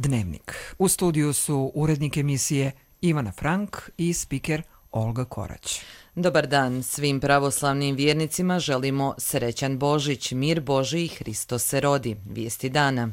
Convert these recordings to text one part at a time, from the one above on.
Dnevnik. U studiju su urednik emisije Ivana Frank i spiker Olga Korać. Dobar dan svim pravoslavnim vjernicima, želimo srećan Božić, mir Božji i Hristos se rodi. Vijesti dana.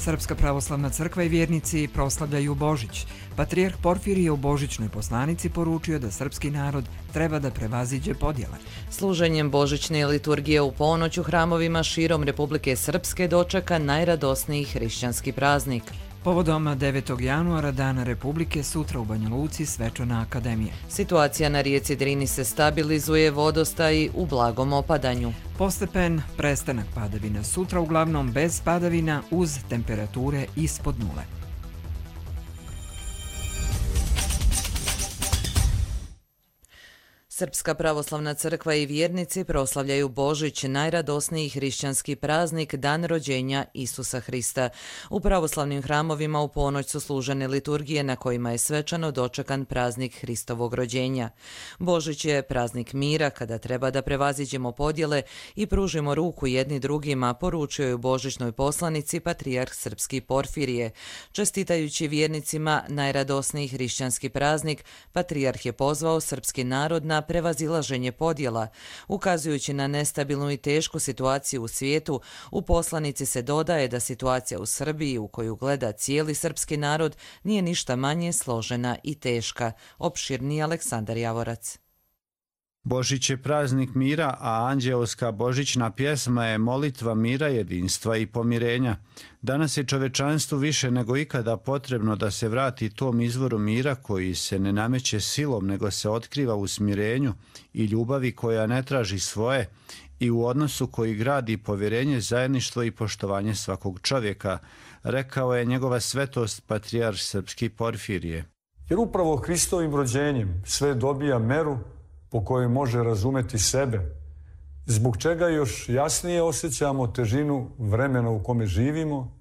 Srpska pravoslavna crkva i vjernici proslavljaju Božić. Patrijarh Porfirije u božićnoj poslanici poručio da srpski narod treba da prevaziđe podjele. Služenjem božićne liturgije u ponoć u hramovima širom Republike Srpske dočeka najradosniji hrišćanski praznik. Povodom 9. januara, Dana Republike, sutra u Banja Luci svečana akademija. Situacija na rijeci Drini se stabilizuje, vodostaji u blagom opadanju. Postepen prestanak padavina, sutra uglavnom bez padavina uz temperature ispod nule. Srpska pravoslavna crkva i vjernici proslavljaju Božić, najradosniji hrišćanski praznik, dan rođenja Isusa Hrista. U pravoslavnim hramovima u ponoć su služene liturgije na kojima je svečano dočekan praznik Hristovog rođenja. Božić je praznik mira kada treba da prevaziđemo podjele i pružimo ruku jedni drugima, poručio je u božićnoj poslanici patrijarh srpski Porfirije. Čestitajući vjernicima najradosniji hrišćanski praznik, patrijarh je pozvao srpski narod na prevazilaženje podjela. Ukazujući na nestabilnu i tešku situaciju u svijetu, u poslanici se dodaje da situacija u Srbiji, u koju gleda cijeli srpski narod, nije ništa manje složena i teška. Opširni Aleksandar Javorac. Božić je praznik mira, a anđeoska božićna pjesma je molitva mira, jedinstva i pomirenja. Danas je čovečanstvu više nego ikada potrebno da se vrati tom izvoru mira koji se ne nameće silom, nego se otkriva u smirenju i ljubavi koja ne traži svoje i u odnosu koji gradi povjerenje, zajedništvo i poštovanje svakog čovjeka, rekao je njegova svetost patrijarh srpski Porfirije. Jer upravo Hristovim rođenjem sve dobija meru po kojoj može razumeti sebe, zbog čega još jasnije osjećamo težinu vremena u kome živimo,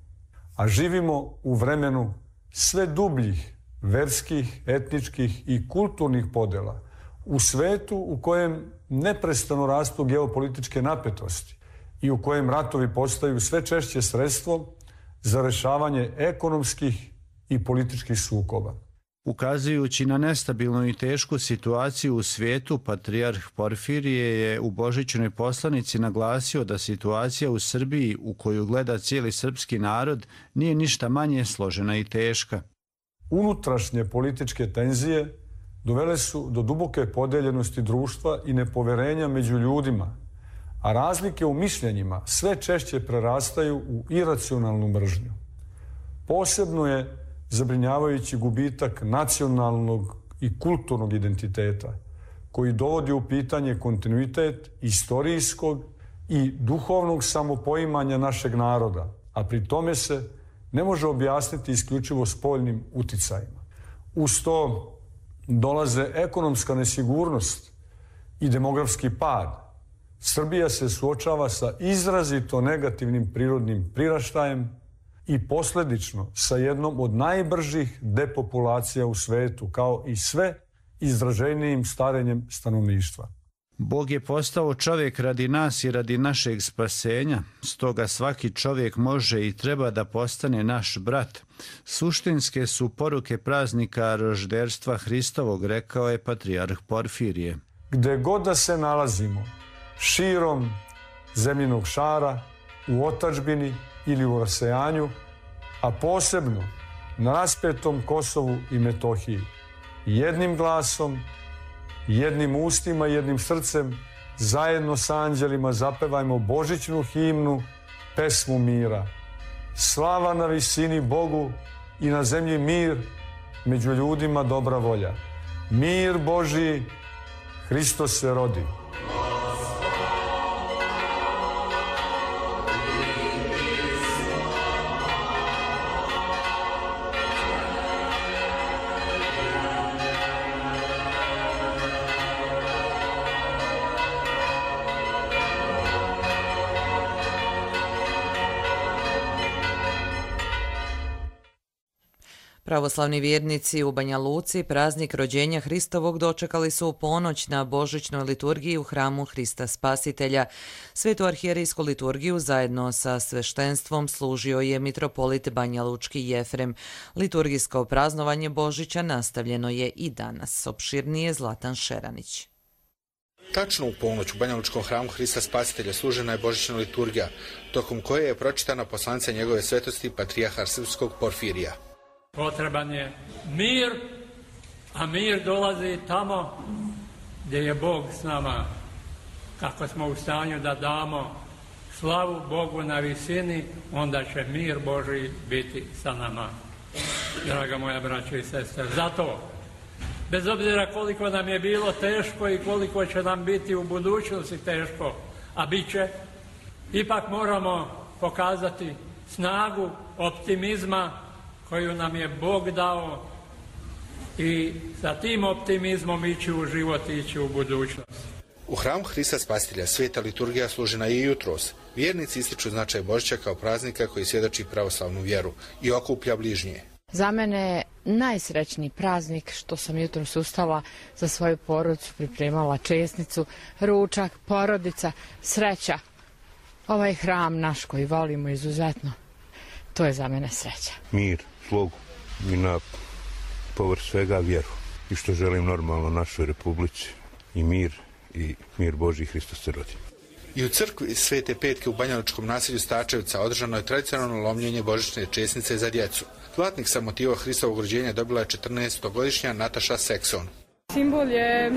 a živimo u vremenu sve dubljih verskih, etničkih i kulturnih podjela, u svetu u kojem neprestano rastu geopolitičke napetosti i u kojem ratovi postaju sve češće sredstvo za rješavanje ekonomskih i političkih sukoba. Ukazujući na nestabilnu i tešku situaciju u svijetu, patrijarh Porfirije je u božićnoj poslanici naglasio da situacija u Srbiji, u koju gleda cijeli srpski narod, nije ništa manje složena i teška. Unutrašnje političke tenzije dovele su do duboke podeljenosti društva i nepoverenja među ljudima, a razlike u mišljenjima sve češće prerastaju u iracionalnu mržnju. Posebno je zabrinjavajući gubitak nacionalnog i kulturnog identiteta, koji dovodi u pitanje kontinuitet istorijskog i duhovnog samopoimanja našeg naroda, a pri tome se ne može objasniti isključivo spoljnim uticajima. Uz to dolaze ekonomska nesigurnost i demografski pad. Srbija se suočava sa izrazito negativnim prirodnim priraštajem i posljedično sa jednom od najbržih depopulacija u svetu, kao i sve izraženijim starenjem stanovništva. Bog je postao čovjek radi nas i radi našeg spasenja, stoga svaki čovjek može i treba da postane naš brat. Suštinske su poruke praznika rožderstva Hristovog, rekao je patrijarh Porfirije. Gde god da se nalazimo, širom zemljinog šara, u otadžbini ili u rasejanju, a posebno na raspetom Kosovu i Metohiji, jednim glasom, jednim ustima i jednim srcem, zajedno sa anđelima zapevajmo božićnu himnu, pesmu mira. Slava na visini Bogu i na zemlji mir, među ljudima dobra volja. Mir Božji, Hristos se rodi. Pravoslavni vjernici u Banja Luci praznik rođenja Hristovog dočekali su u ponoć na božićnoj liturgiji u hramu Hrista Spasitelja. Svetu arhijerijsku liturgiju zajedno sa sveštenstvom služio je mitropolit Banja Lučki Jefrem. Liturgijsko praznovanje Božića nastavljeno je i danas. Opširnije Zlatan Šeranić. Tačno u ponoć u Banjalučkom hramu Hrista Spasitelja služena je božićna liturgija, tokom koje je pročitana poslanica njegove svetosti patrijarha srpskog Porfirija. Potreban je mir, a mir dolazi tamo gdje je Bog s nama. Kako smo u stanju da damo slavu Bogu na visini, onda će mir Božji biti sa nama. Draga moja braćo i sestre, zato, bez obzira koliko nam je bilo teško i koliko će nam biti u budućnosti teško, a bit će, ipak moramo pokazati snagu optimizma koju nam je Bog dao i sa tim optimizmom ići u život i ići u budućnost. U hramu Hrista Spasitelja sveta liturgija služena je i jutros. Vjernici ističu značaj Božića kao praznika koji svjedoči pravoslavnu vjeru i okuplja bližnje. Za mene je najsrećniji praznik što sam jutros ustala za svoju porodicu, pripremala česnicu, ručak, porodica, sreća. Ovaj hram naš koji volimo izuzetno, to je za mene sreća. Mir, slogu i na povrh svega vjeru. I što želim normalno našoj Republici i mir Božji Hristos se rodi. I u crkvi Svete Petke u Banjalučkom naselju Stačevca održano je tradicionalno lomljenje božićne česnice za djecu. Zlatnik sa motiva Hristovog rođenja dobila je 14-godišnja Nataša Sekson. Simbol je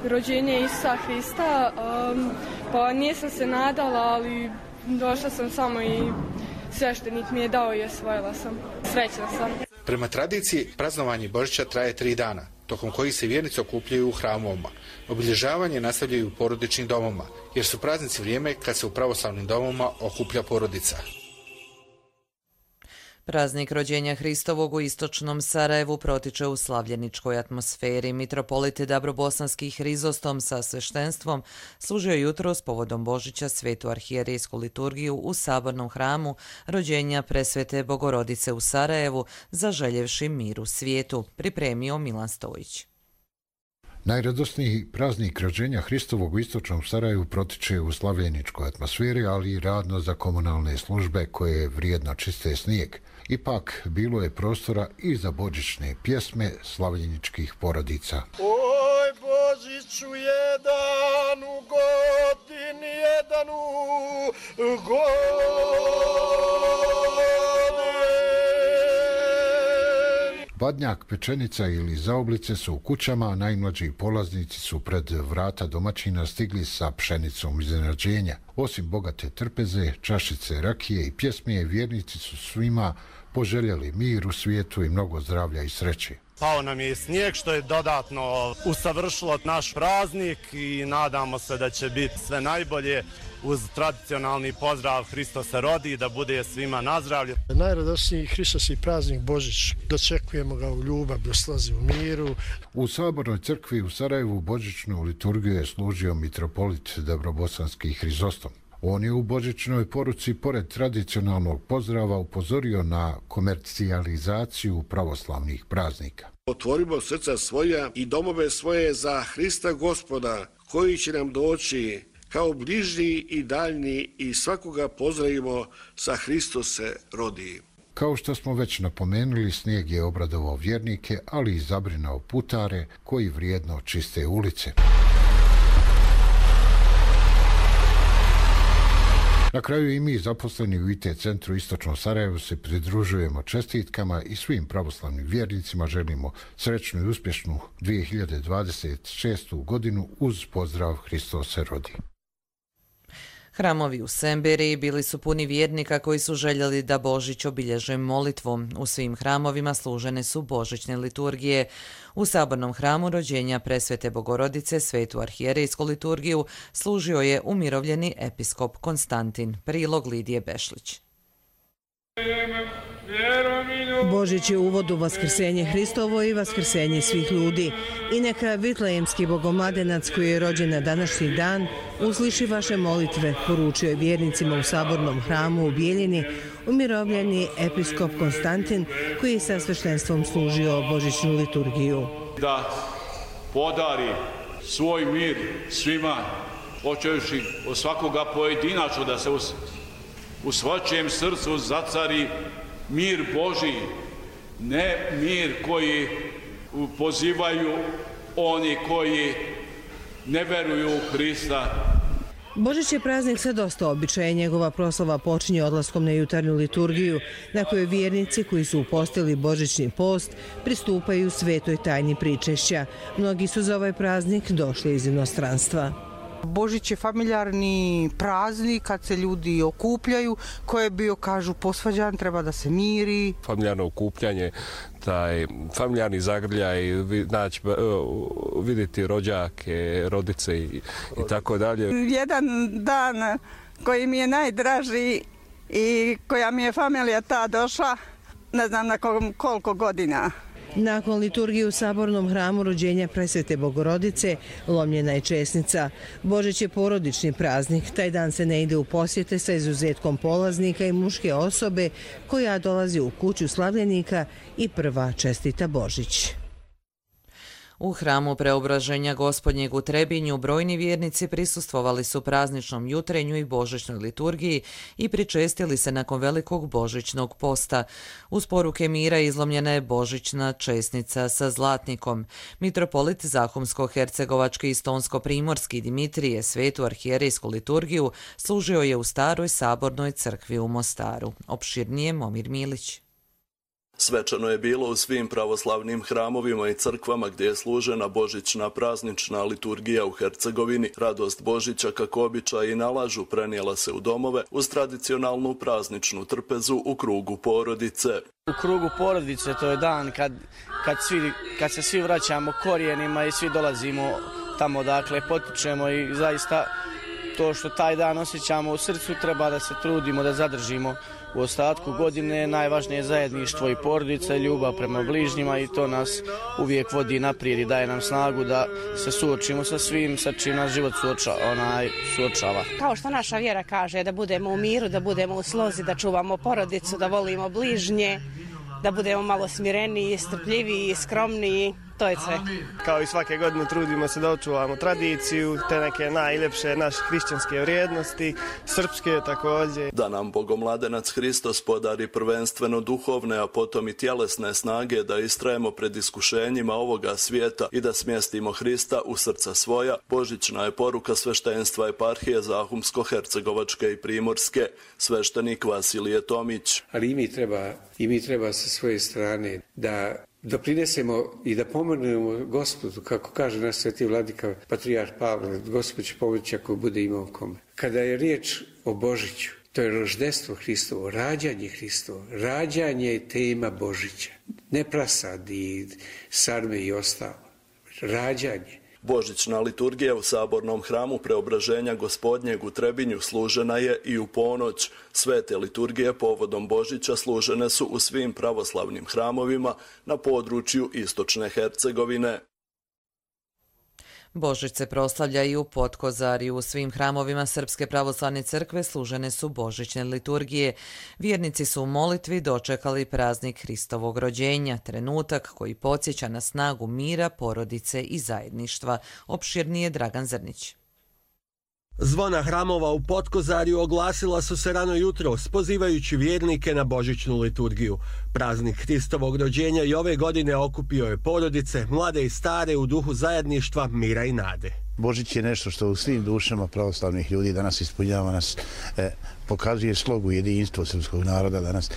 rođenje Isusa Hrista, pa nisam se nadala, ali došla sam samo i sveštenik mi je dao i osvojila sam. Srećna sam. Prema tradiciji, praznovanje Božića traje 3 dana, tokom kojih se vjernici okupljaju u hramovima. Obilježavanje nastavljaju u porodičnim domovima, jer su praznici vrijeme kad se u pravoslavnim domovima okuplja porodica. Praznik rođenja Hristovog u istočnom Sarajevu protiče u slavljeničkoj atmosferi. Mitropolit Dabrobosanski Hrizostom sa sveštenstvom služio jutros povodom Božića svetu arhijerijsku liturgiju u sabornom hramu rođenja presvete Bogorodice u Sarajevu, zaželjevši mir u svijetu, pripremio Milan Stojić. Najradosniji praznik rođenja Hristovog u istočnom Sarajevu protiče u slavljeničkoj atmosferi, ali i radno za komunalne službe koje vrijedno čiste snijeg. Ipak, bilo je prostora i za božićne pjesme slavljeničkih porodica. Oj, Božiću jedan u godini, jedan u godini. Badnjak, pečenica ili zaoblice su u kućama, a najmlađi polaznici su pred vrata domaćina stigli sa pšenicom iznenađenja. Osim bogate trpeze, čašice rakije i pjesme, vjernici su svima poželjeli mir u svijetu i mnogo zdravlja i sreće. Pao nam je snijeg što je dodatno usavršilo naš praznik i nadamo se da će biti sve najbolje uz tradicionalni pozdrav Hristos se rodi, da bude svima na zdravlje. Najradosniji Hristos i praznik Božić, dočekujemo ga u ljubavi, u slazi, u miru. U sabornoj crkvi u Sarajevu božićnu liturgiju je služio mitropolit Dabrobosanski Hrizostom. On je u božićnoj poruci, pored tradicionalnog pozdrava, upozorio na komercijalizaciju pravoslavnih praznika. Otvorimo srca svoja i domove svoje za Hrista Gospoda, koji će nam doći kao bližnji i daljni i svakoga pozdravimo sa Hristos se rodi. Kao što smo već napomenuli, snijeg je obradovao vjernike, ali i zabrinao putare koji vrijedno čiste ulice. Na kraju i mi, zaposleni u IT centru Istočnom Sarajevu, se pridružujemo čestitkama i svim pravoslavnim vjernicima želimo srećnu i uspješnu 2026. godinu uz pozdrav Hristos se rodi. Hramovi u Semberiji bili su puni vjernika koji su željeli da Božić obilježe molitvom. U svim hramovima služene su božićne liturgije. U sabornom hramu rođenja presvete Bogorodice svetu arhijerijsku liturgiju služio je umirovljeni episkop Konstantin. Prilog Lidije Bešlić. Božić je uvod u vaskrsenje Hristovo i vaskrsenje svih ljudi. I neka vitlejemski bogomladenac koji je rođen na današnji dan usliši vaše molitve, poručio je vjernicima u sabornom hramu u Bijeljini umirovljeni episkop Konstantin koji je sa sveštenstvom služio božićnu liturgiju. Da podari svoj mir svima, počevši od svakoga pojedinačno, da se u svačijem srcu zacari mir Božji, ne mir koji pozivaju oni koji ne veruju u Hrista. Božić je praznik sa dosta običaja. Njegova proslava počinje odlaskom na jutarnju liturgiju, na kojoj vjernici koji su upostili božićni post pristupaju svetoj tajni pričešća. Mnogi su za ovaj praznik došli iz inostranstva. Božić je familijarni praznik kad se ljudi okupljaju, koje je bio, kažu, posvađan, treba da se miri. Familijarno okupljanje, taj familijarni zagrljaj, vidjeti rođake, rodice i tako dalje. Jedan dan koji mi je najdraži i koja mi je familija ta došla, ne znam nakon koliko godina. Nakon liturgije u sabornom hramu rođenja Presvete Bogorodice lomljena je česnica. Božić je porodični praznik. Taj dan se ne ide u posjete sa izuzetkom polaznika i muške osobe koja dolazi u kuću slavljenika i prva čestita Božić. U hramu Preobraženja Gospodnjeg u Trebinju brojni vjernici prisustvovali su prazničnom jutrenju i božićnoj liturgiji i pričestili se nakon velikog božićnog posta. Uz poruke mira izlomljena je božićna česnica sa zlatnikom. Mitropolit Zahumsko-hercegovački i Stonsko-primorski Dimitrije svetu arhijerejsku liturgiju služio je u staroj sabornoj crkvi u Mostaru. Opširnije Momir Milić. Svečano je bilo u svim pravoslavnim hramovima i crkvama gdje je služena božićna praznična liturgija u Hercegovini. Radost Božića, kako običaji nalažu, prenijela se u domove uz tradicionalnu prazničnu trpezu u krugu porodice. U krugu porodice to je dan kad se svi vraćamo korijenima i svi dolazimo tamo dakle potičemo i zaista to što taj dan osjećamo u srcu treba da se trudimo da zadržimo u ostatku godine. Najvažnije je zajedništvo i porodica i ljubav prema bližnjima i to nas uvijek vodi naprijed i daje nam snagu da se suočimo sa svim sa čim nas život suočava. Kao što naša vjera kaže, da budemo u miru, da budemo u slozi, da čuvamo porodicu, da volimo bližnje, da budemo malo smireniji, strpljiviji, skromniji. To je sve. Kao i svake godine trudimo se da očuvamo tradiciju, te neke najljepše naše hrišćanske vrijednosti, srpske također. Da nam Bogomladenac Hristos podari prvenstveno duhovne, a potom i tjelesne snage da istrajemo pred iskušenjima ovoga svijeta i da smjestimo Hrista u srca svoja, božićna je poruka sveštenstva eparhije Zahumsko-hercegovačke i Primorske, sveštenik Vasilije Tomić. Ali i mi treba sa svoje strane da doprinesemo i da pomognemo Gospodu, kako kaže naš sveti vladika patrijarh Pavle, Gospod će pomoći ako bude imao kome. Kada je riječ o Božiću, to je roždestvo Hristovo, rađanje Hristovo, rađanje je tema Božića, ne prasadi, sarme i ostalo, rađanje. Božićna liturgija u sabornom hramu Preobraženja Gospodnjeg u Trebinju služena je i u ponoć. Svete liturgije povodom Božića služene su u svim pravoslavnim hramovima na području istočne Hercegovine. Božić se proslavlja i u Potkozariju. U svim hramovima Srpske pravoslavne crkve služene su božićne liturgije. Vjernici su u molitvi dočekali praznik Hristovog rođenja, trenutak koji podsjeća na snagu mira, porodice i zajedništva. Opširnije Dragan Zrnić. Zvona hramova u Potkozariju oglasila su se rano jutros, pozivajući vjernike na božićnu liturgiju. Praznik Hristovog rođenja i ove godine okupio je porodice, mlade i stare u duhu zajedništva, mira i nade. Božić je nešto što u svim dušama pravoslavnih ljudi danas ispunjava nas, pokazuje slogu jedinstvo srpskog naroda danas.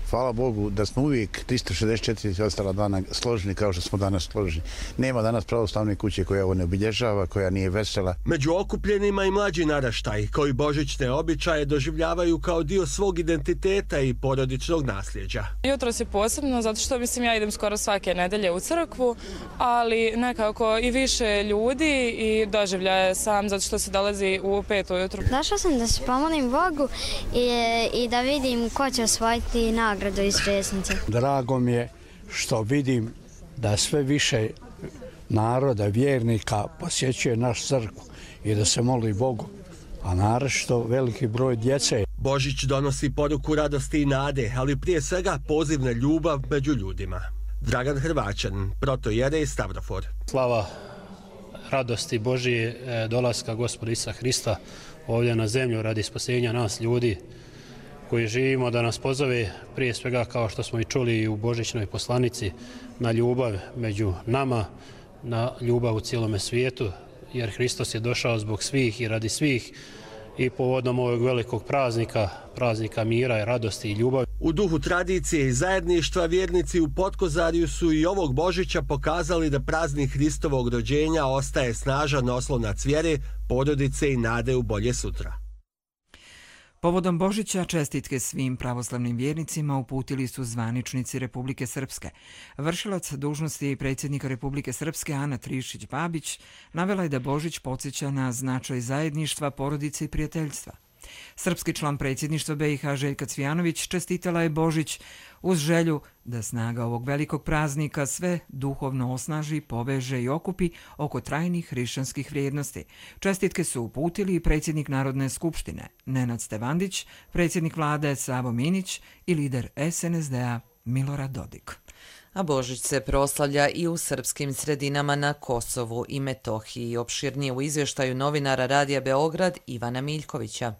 Hvala Bogu da smo uvijek 364 ostala dana složni kao što smo danas složni. Nema danas pravoslavne kuće koja ovo ne obilježava, koja nije vesela. Među okupljenima i mlađi naraštaj koji božićne običaje doživljavaju kao dio svog identiteta i porodičnog nasljeđa. Jutros je posebno zato što ja idem skoro svake nedelje u crkvu, ali nekako i više ljudi i doživljaje sam zato što se dolazi u 5 ujutru. Došla sam da se pomolim Bogu i da vidim ko će osvojiti nagradu. nagradu iz Žesnice. Drago mi je što vidim da sve više naroda, vjernika posjećuje naš crkvu i da se moli Bogu, a naročito veliki broj djece. Božić donosi poruku radosti i nade, ali prije svega poziv na ljubav među ljudima. Dragan Hrvaćan, protojerej Stavrofor. Slava radosti Božije dolaska Gospoda Isusa Hrista ovdje na zemlju radi spasenja nas ljudi koji živimo, da nas pozove prije svega, kao što smo i čuli i u božićnoj poslanici, na ljubav među nama, na ljubav u cijelome svijetu, jer Hristos je došao zbog svih i radi svih i povodom ovog velikog praznika mira i radosti i ljubavi. U duhu tradicije i zajedništva vjernici u Potkozarju su i ovog Božića pokazali da praznik Hristovog rođenja ostaje snažan oslonac vjere, porodice i nade u bolje sutra. Povodom Božića čestitke svim pravoslavnim vjernicima uputili su zvaničnici Republike Srpske. Vršilac dužnosti predsjednika Republike Srpske Ana Trišić-Babić navela je da Božić podsjeća na značaj zajedništva, porodice i prijateljstva. Srpski član predsjedništva BiH Željka Cvijanović čestitala je Božić uz želju da snaga ovog velikog praznika sve duhovno osnaži, poveže i okupi oko trajnih hrišćanskih vrijednosti. Čestitke su uputili i predsjednik Narodne skupštine Nenad Stevandić, predsjednik vlade Savo Minić i lider SNSD-a Milorad Dodik. A Božić se proslavlja i u srpskim sredinama na Kosovu i Metohiji. Opširnije u izvještaju novinara Radija Beograd Ivana Miljkovića.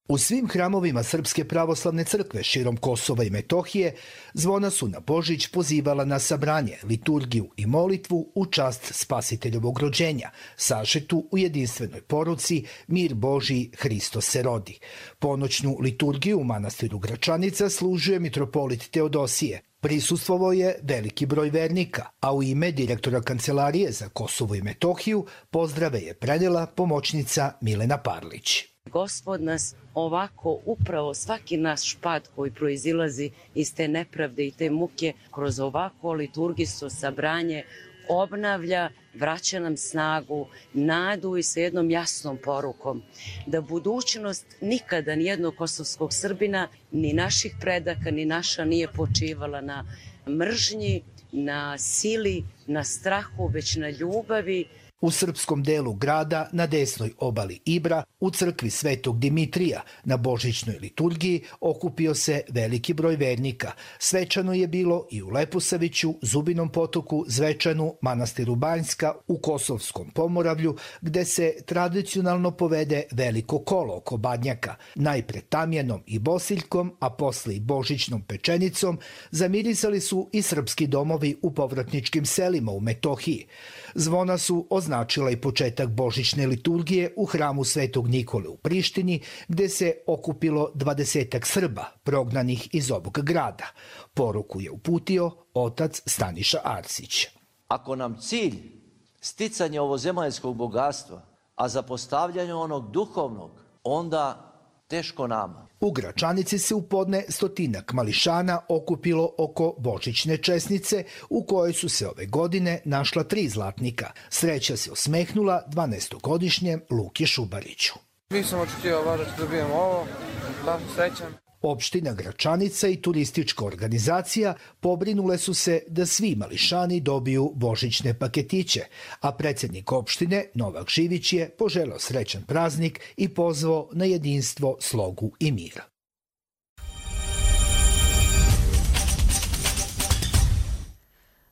U svim hramovima Srpske pravoslavne crkve širom Kosova i Metohije zvona su na Božić pozivala na sabranje, liturgiju i molitvu u čast Spasiteljovog rođenja, sažetu u jedinstvenoj poruci Mir Božji, Hristos se rodi. Ponoćnu liturgiju u manastiru Gračanica služuje mitropolit Teodosije. Prisustvovao je veliki broj vernika, a u ime direktora Kancelarije za Kosovo i Metohiju pozdrave je prenijela pomoćnica Milena Parlić. Gospod nas ovako, upravo svaki naš pad koji proizilazi iz te nepravde i te muke, kroz ovako liturgijsko sabranje obnavlja, vraća nam snagu, nadu i sa jednom jasnom porukom da budućnost nikada nijednog kosovskog Srbina, ni naših predaka, ni naša nije počivala na mržnji, na sili, na strahu, već na ljubavi. U srpskom delu grada, na desnoj obali Ibra, u crkvi Svetog Dimitrija, na božićnoj liturgiji okupio se veliki broj vernika. Svečano je bilo i u Leposaviću, Zubinom potoku, Zvečanu, manastiru Banjska, u Kosovskom Pomoravlju, gde se tradicionalno povede veliko kolo oko Badnjaka. Najpre tamjanom i bosiljkom, a posle i božićnom pečenicom, zamirisali su i srpski domovi u povratničkim selima u Metohiji. Zvona su označila i početak božićne liturgije u hramu Svetog Nikole u Prištini, gde se okupilo 20 Srba prognanih iz ovog grada. Poruku je uputio otac Staniša Arsić. Ako nam cilj sticanje ovozemaljskog bogatstva, a zapostavljanje onog duhovnog, onda teško nama. U Gračanici se u podne 100 mališana okupilo oko božićne česnice u kojoj su se ove godine našla 3 zlatnika. Sreća se osmehnula 12-godišnjem Luki Šubariću. Nisam očekivao da dobijemo ovo, da sam srećan. Opština Gračanica i turistička organizacija pobrinule su se da svi mališani dobiju božićne paketiće, a predsjednik opštine Novak Živić je poželeo srećan praznik i pozvao na jedinstvo, slogu i mir.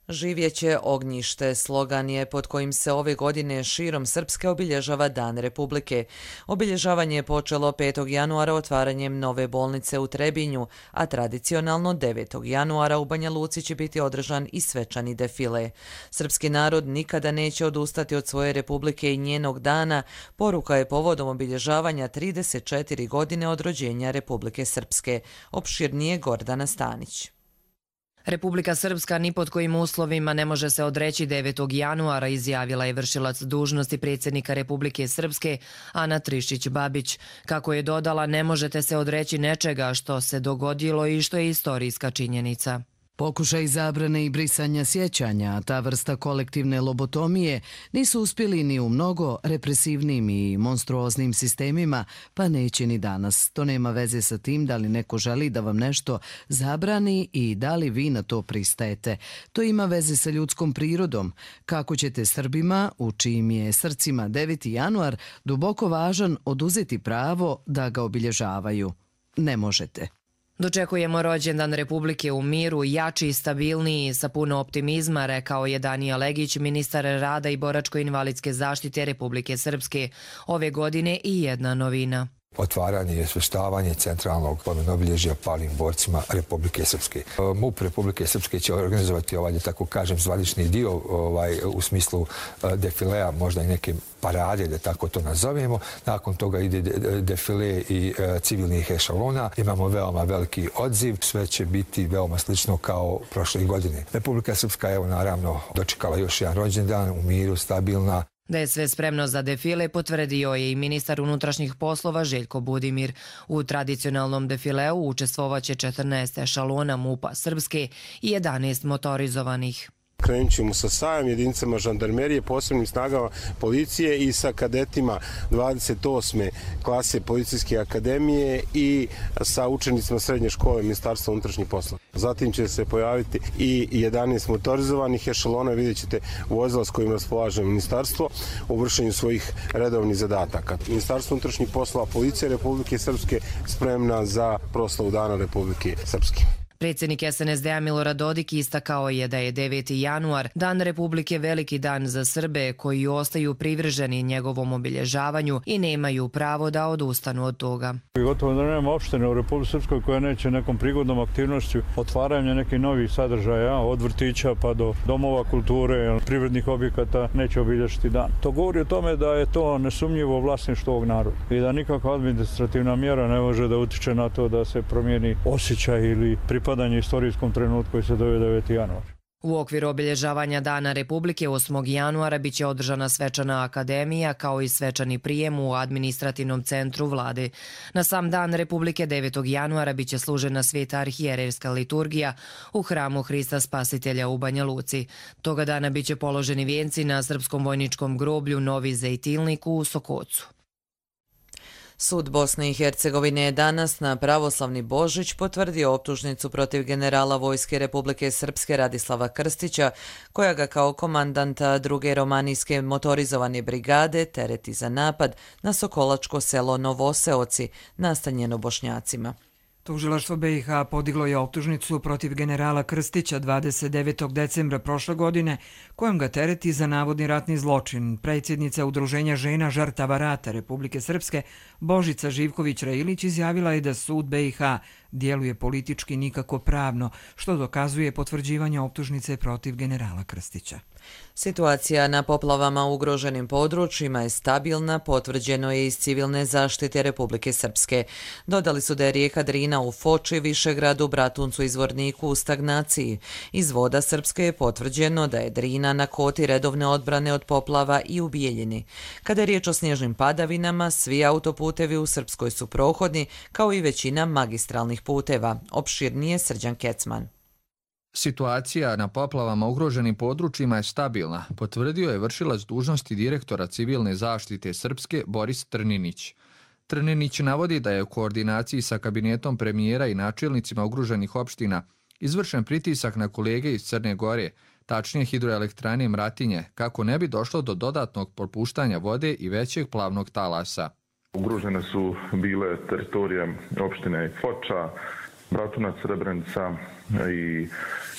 Živjeće ognjište slogan je pod kojim se ove godine širom Srpske obilježava Dan Republike. Obilježavanje je počelo 5. januara otvaranjem nove bolnice u Trebinju, a tradicionalno 9. januara u Banja Luci će biti održan i svečani defile. Srpski narod nikada neće odustati od svoje Republike i njenog dana, poruka je povodom obilježavanja 34 godine od rođenja Republike Srpske. Opširnije Gordana Stanić. Republika Srpska ni pod kojim uslovima ne može se odreći 9. januara, izjavila je vršilac dužnosti predsjednika Republike Srpske Ana Trišić-Babić. Kako je dodala, ne možete se odreći nečega što se dogodilo i što je istorijska činjenica. Pokušaj zabrane i brisanja sjećanja, ta vrsta kolektivne lobotomije, nisu uspjeli ni u mnogo represivnim i monstruoznim sistemima, pa neće ni danas. To nema veze sa tim da li neko želi da vam nešto zabrani i da li vi na to pristajete. To ima veze sa ljudskom prirodom. Kako ćete Srbima, u čijim je srcima 9. januar duboko važan, oduzeti pravo da ga obilježavaju? Ne možete. Dočekujemo rođendan Republike u miru, jači i stabilniji, sa puno optimizma, rekao je Danija Legić, ministar rada i boračko-invalidske zaštite Republike Srpske. Ove godine i jedna novina. Otvaranje i osveštavanje centralnog obilježja palim borcima Republike Srpske. MUP Republike Srpske će organizovati da tako kažem, zvanični dio u smislu defilea, možda i neke parade, da tako to nazovemo. Nakon toga ide defile i civilnih ešalona. Imamo veoma veliki odziv. Sve će biti veoma slično kao prošle godine. Republika Srpska je naravno dočekala još jedan rođendan u miru, stabilna. Da je sve spremno za defile potvrdio je i ministar unutrašnjih poslova Željko Budimir. U tradicionalnom defileu učestvovaće 14 ešalona MUP-a Srpske i 11 motorizovanih. Krenut ćemo sa sajam jedinicama žandarmerije, posebnim snagama policije i sa kadetima 28. klase policijske akademije i sa učenicima srednje škole Ministarstva unutrašnjih poslova. Zatim će se pojaviti i 11 motorizovanih ešalona, vidjet ćete vozila s kojima raspolaže ministarstvo u vršenju svojih redovnih zadataka. Ministarstvo unutrašnjih poslova, policija Republike Srpske spremna za proslavu Dana Republike Srpske. Predsjednik SNSD-a Milorad Dodik istakao je da je 9. januar Dan Republike veliki dan za Srbe koji ostaju privrženi njegovom obilježavanju i nemaju pravo da odustanu od toga. Gotovo da nema opštine u Republici Srpskoj koja neće nekom prigodnom aktivnošću otvaranja nekih novih sadržaja, od vrtića pa do domova kulture, privrednih objekata neće obilježiti dan. To govori o tome da je to nesumnjivo vlasništvo ovog naroda i da nikakva administrativna mjera ne može da utiče na to da se promijeni osjećaj ili pripadanje istorijskom trenutku koji se zove 9. januar. U okviru obilježavanja Dana Republike 8. januara biće održana svečana akademija kao i svečani prijem u administrativnom centru vlade. Na sam Dan Republike 9. januara biće služena sveta arhijerejska liturgija u hramu Hrista Spasitelja u Banja Luci. Toga dana biće položeni vijenci na srpskom vojničkom groblju Novi Zejtilnik u Sokocu. Sud Bosne i Hercegovine je danas na pravoslavni Božić potvrdio optužnicu protiv generala Vojske Republike Srpske Radislava Krstića, koja ga kao komandanta druge romanijske motorizovane brigade tereti za napad na sokolačko selo Novoseoci, nastanjeno Bošnjacima. Tužilaštvo BiH podiglo je optužnicu protiv generala Krstića 29. decembra prošle godine, kojom ga tereti za navodni ratni zločin. Predsjednica Udruženja žena žrtava rata Republike Srpske Božica Živković-Railić izjavila je da sud BiH djeluje politički nikako pravno, što dokazuje potvrđivanje optužnice protiv generala Krstića. Situacija na poplavama u ugroženim područjima je stabilna, potvrđeno je iz civilne zaštite Republike Srpske. Dodali su da je rijeka Drina u Foči, Višegradu, Bratuncu i Zvorniku u stagnaciji. Iz voda Srpske je potvrđeno da je Drina na koti redovne odbrane od poplava i u Bijeljini. Kada je riječ o snježnim padavinama, svi autoputevi u Srpskoj su prohodni, kao i većina magistralnih puteva. Opširnije Srđan Kecman. Situacija na poplavama ugroženim područjima je stabilna, potvrdio je vršilac dužnosti direktora civilne zaštite Srpske Boris Trninić. Trninić navodi da je u koordinaciji sa kabinetom premijera i načelnicima ugroženih opština izvršen pritisak na kolege iz Crne Gore, tačnije hidroelektrane Mratinje, kako ne bi došlo do dodatnog popuštanja vode i većeg plavnog talasa. Ugrožene su bile teritorije opštine Foča, Bratunac, Srebrenica i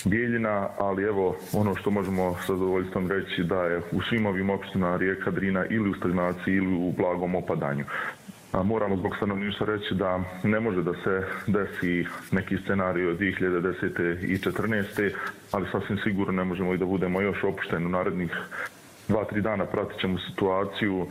Bijeljina, ali evo ono što možemo sa zadovoljstvom reći da je u svim ovim opštinama rijeka Drina ili u stagnaciji ili u blagom opadanju. Moramo zbog stanovništva reći da ne može da se desi neki scenarij od 2010. i 2014. ali sasvim sigurno ne možemo i da budemo još opušteni u narednih 2-3 dana. Pratit ćemo situaciju.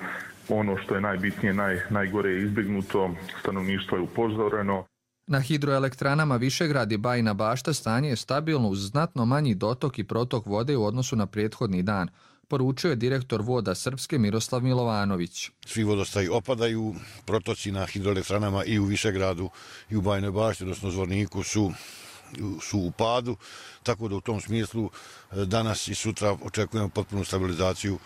Ono što je najbitnije, najgore je izbjegnuto, stanovništvo je upozoreno. Na hidroelektranama Višegrad i Bajina Bašta stanje je stabilno uz znatno manji dotok i protok vode u odnosu na prethodni dan, poručio je direktor voda Srpske Miroslav Milovanović. Svi vodostaji opadaju, protoci na hidroelektranama i u Višegradu i u Bajinoj Bašti, odnosno Zvorniku, su su u padu, tako da u tom smislu danas i sutra očekujemo potpunu stabilizaciju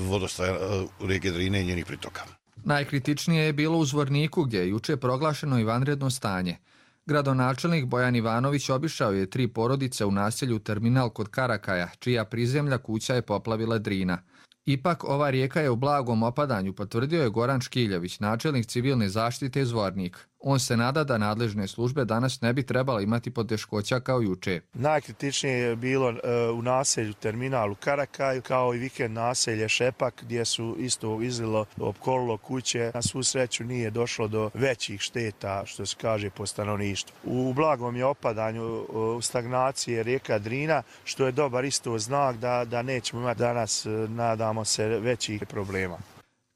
vodostaja rijeke Drine i njenih pritoka. Najkritičnije je bilo u Zvorniku gdje je juče proglašeno i vanredno stanje. Gradonačelnik Bojan Ivanović obišao je 3 porodice u naselju Terminal kod Karakaja, čija prizemlja kuća je poplavila Drina. Ipak, ova rijeka je u blagom opadanju, potvrdio je Goran Škiljević, načelnik civilne zaštite Zvornik. On se nada da nadležne službe danas ne bi trebala imati poteškoća kao juče. Najkritičnije je bilo u naselju Terminalu Karakaj, kao i vikend naselje Šepak, gdje su isto izlilo, opkolilo kuće. Na svu sreću nije došlo do većih šteta, što se kaže, po stanovništvu. U blagom je opadanju stagnacije rijeka Drina, što je dobar isto znak da nećemo imati danas, nadamo se, većih problema.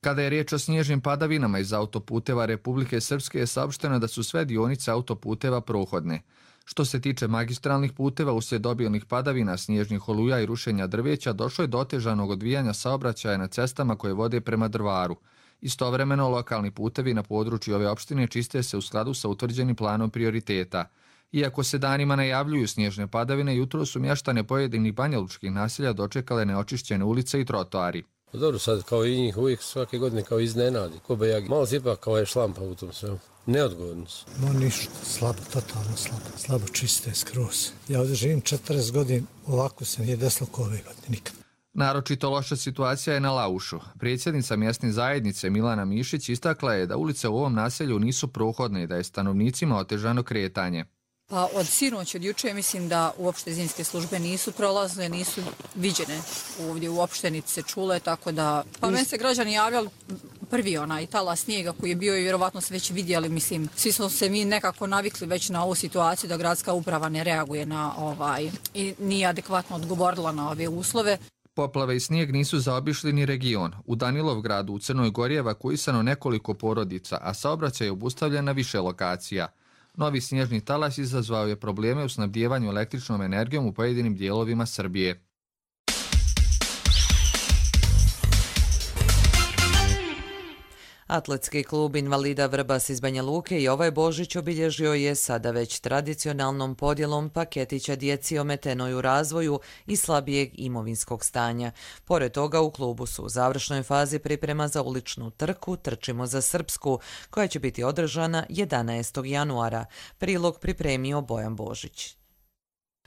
Kada je riječ o snježnim padavinama iz autoputeva Republike Srpske je saopšteno da su sve dionice autoputeva prohodne. Što se tiče magistralnih puteva, uslijed obilnih padavina, snježnih oluja i rušenja drveća, došlo je do otežanog odvijanja saobraćaja na cestama koje vode prema Drvaru. Istovremeno, lokalni putevi na području ove opštine čiste se u skladu sa utvrđenim planom prioriteta. Iako se danima najavljuju snježne padavine, jutro su mještane pojedinih banjalučkih naselja dočekale neočišćene ulice i trotoari. Dobro, sad kao i njih uvijek svake godine kao iznenadi. Malo se ipak kao je šlampa u tom svemu. Neodgovorno su. Ništa, slabo, totalno slabo. Slabo čiste skroz. Ja ovdje živim 40 godina, ovako se nije desilo kao ove godine, nikad. Naročito loša situacija je na Laušu. Predsjednica mjesne zajednice Milana Mišić istakla je da ulice u ovom naselju nisu prohodne i da je stanovnicima otežano kretanje. Pa od sinoć, od juče, mislim da uopšte zimske službe nisu prolazne, nisu viđene ovdje u opštenici se čule, tako da... Pa meni se građani javljali prvi onaj talas snijega koji je bio i vjerovatno se već vidjeli, mislim, svi smo se mi nekako navikli već na ovu situaciju da gradska uprava ne reaguje na i nije adekvatno odgovorila na ove uslove. Poplave i snijeg nisu zaobišli ni region. U Danilovgradu u Crnoj Gori je evakuisano nekoliko porodica, a saobraćaj je obustavljen na više lokacija. Novi snježni talas izazvao je probleme u snabdijevanju električnom energijom u pojedinim dijelovima Srbije. Atletski klub invalida Vrbas iz Banja Luke i ovaj Božić obilježio je sada već tradicionalnom podjelom paketića djeci ometenoj u razvoju i slabijeg imovinskog stanja. Pored toga u klubu su u završnoj fazi priprema za uličnu trku Trčimo za Srpsku, koja će biti održana 11. januara. Prilog pripremio Bojan Božić.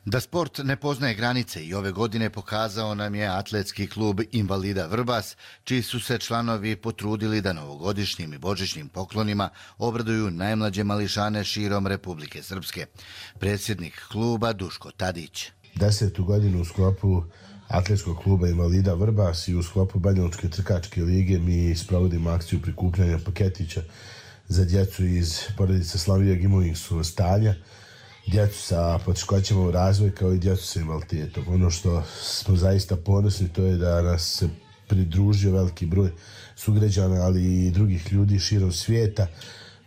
Da sport ne poznaje granice i ove godine pokazao nam je Atletski klub invalida Vrbas, čiji su se članovi potrudili da novogodišnjim i božićnim poklonima obraduju najmlađe mališane širom Republike Srpske. Predsjednik kluba Duško Tadić. 10. godinu u sklopu Atletskog kluba invalida Vrbas i u sklopu Banjalučke trkačke lige mi sprovodimo akciju prikupljanja paketića za djecu iz porodice slabijeg imovinskog stanja, djecu sa poteškoćama u razvoju kao i djecu sa invaliditetom. Ono što smo zaista ponosni to je da nas se pridružio veliki broj sugrađana, ali i drugih ljudi širom svijeta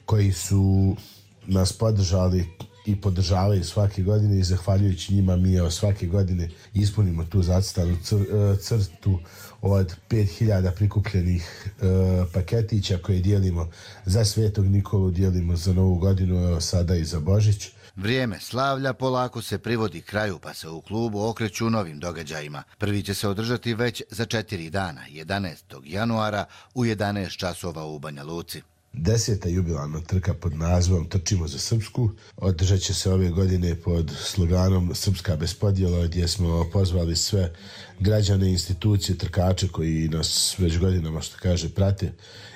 koji su nas podržali i podržavaju svake godine i zahvaljujući njima mi svake godine ispunimo tu zacrtanu crtu od 5000 prikupljenih paketića koje dijelimo za Svetog Nikolu, dijelimo za Novu godinu, sada i za Božić. Vrijeme slavlja polako se privodi kraju, pa se u klubu okreću novim događajima. Prvi će se održati već za 4 dana, 11. januara u 11 časova u Banja Luci. 10. jubilarna trka pod nazivom Trčimo za Srpsku održat će se ove godine pod sloganom Srpska bez podjela, gdje smo pozvali sve građane, institucije, trkače koji nas već godinama, što kaže, prate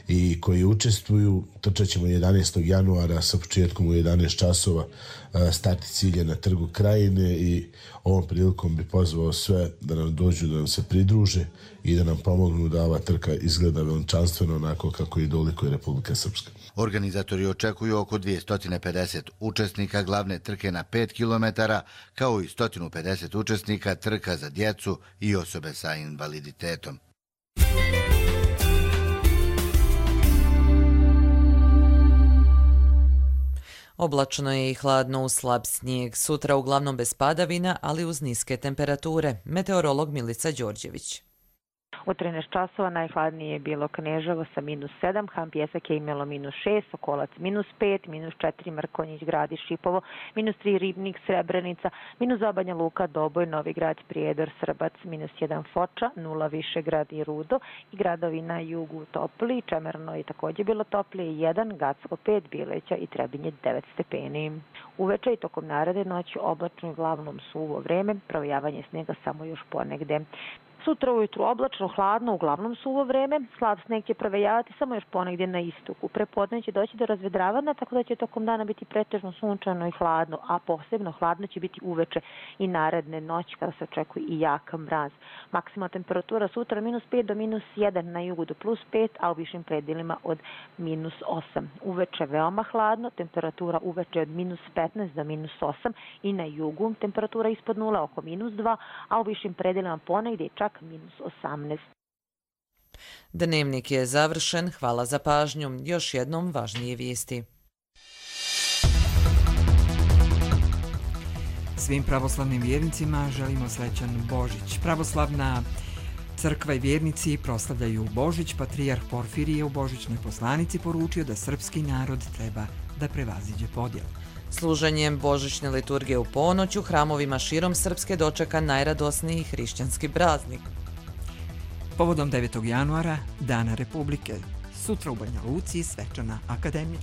i koji učestvuju. Trčat ćemo 11. januara sa početkom u 11 časova. Start cilje na Trgu Krajine i ovom prilikom bi pozvao sve da nam dođu, da nam se pridruže i da nam pomognu da ova trka izgleda veličanstveno onako kako i dolikuje Republika Srpska. Organizatori očekuju oko 250 učesnika glavne trke na 5 km, kao i 150 učesnika trka za djecu i osobe sa invaliditetom. Oblačno je i hladno uz slab snijeg. Sutra uglavnom bez padavina, ali uz niske temperature. Meteorolog Milica Đorđević. U 13 časova najhladnije je bilo Kneževo sa -7, Han Pjesak je imalo -6, Sokolac -5, -4 Mrkonjić, Grad i Šipovo, -3 Ribnik, Srebrenica, -2 Banja Luka, Doboj, Novigrad, Prijedor, Srbac, -1 Foča, 0 Višegrad i Rudo i gradovi na jugu topli, Čemerno je također bilo toplije 1, Gacko 5, Bileća i Trebinje 9 stepeni. Uveče i tokom naredne noći oblačno i uglavnom suvo vreme, provejavanje snijega samo još ponegde. Sutra ujutru oblačno, hladno, uglavnom suvo vreme, slab sneg će provejavati samo još ponegdje na istoku. Prepodne će doći do razvedravanja, tako da će tokom dana biti pretežno sunčano i hladno, a posebno hladno će biti uveče i naredne noći kada se očekuje i jak mraz. Maksimalna temperatura sutra -5 do -1, na jugu do +5, a u višim predjelima od -8. Uveče veoma hladno, temperatura uveče od -15 do -8 i na jugu temperatura ispod 0 oko -2, a u višim predjelima ponegdje čak -18. Dnevnik je završen, hvala za pažnju. Još jednom važnije vijesti. Svim pravoslavnim vjernicima želimo srećan Božić. Pravoslavna crkva i vjernici proslavljaju Božić. Patrijarh Porfirije u božićnoj poslanici poručio da srpski narod treba da prevaziđe podjel. Služenjem božićne liturgije u ponoć u hramovima širom Srpske dočeka najradosniji hrišćanski praznik. Povodom 9. januara, Dana Republike, sutra u Banja Luci svečana akademija.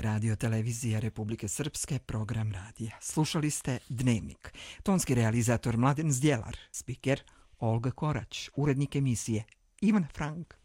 Radio televizija Republike Srpske, program radija. Slušali ste Dnevnik. Tonski realizator Mladen Zdjelar, spiker Olga Korać, urednik emisije Ivan Frank.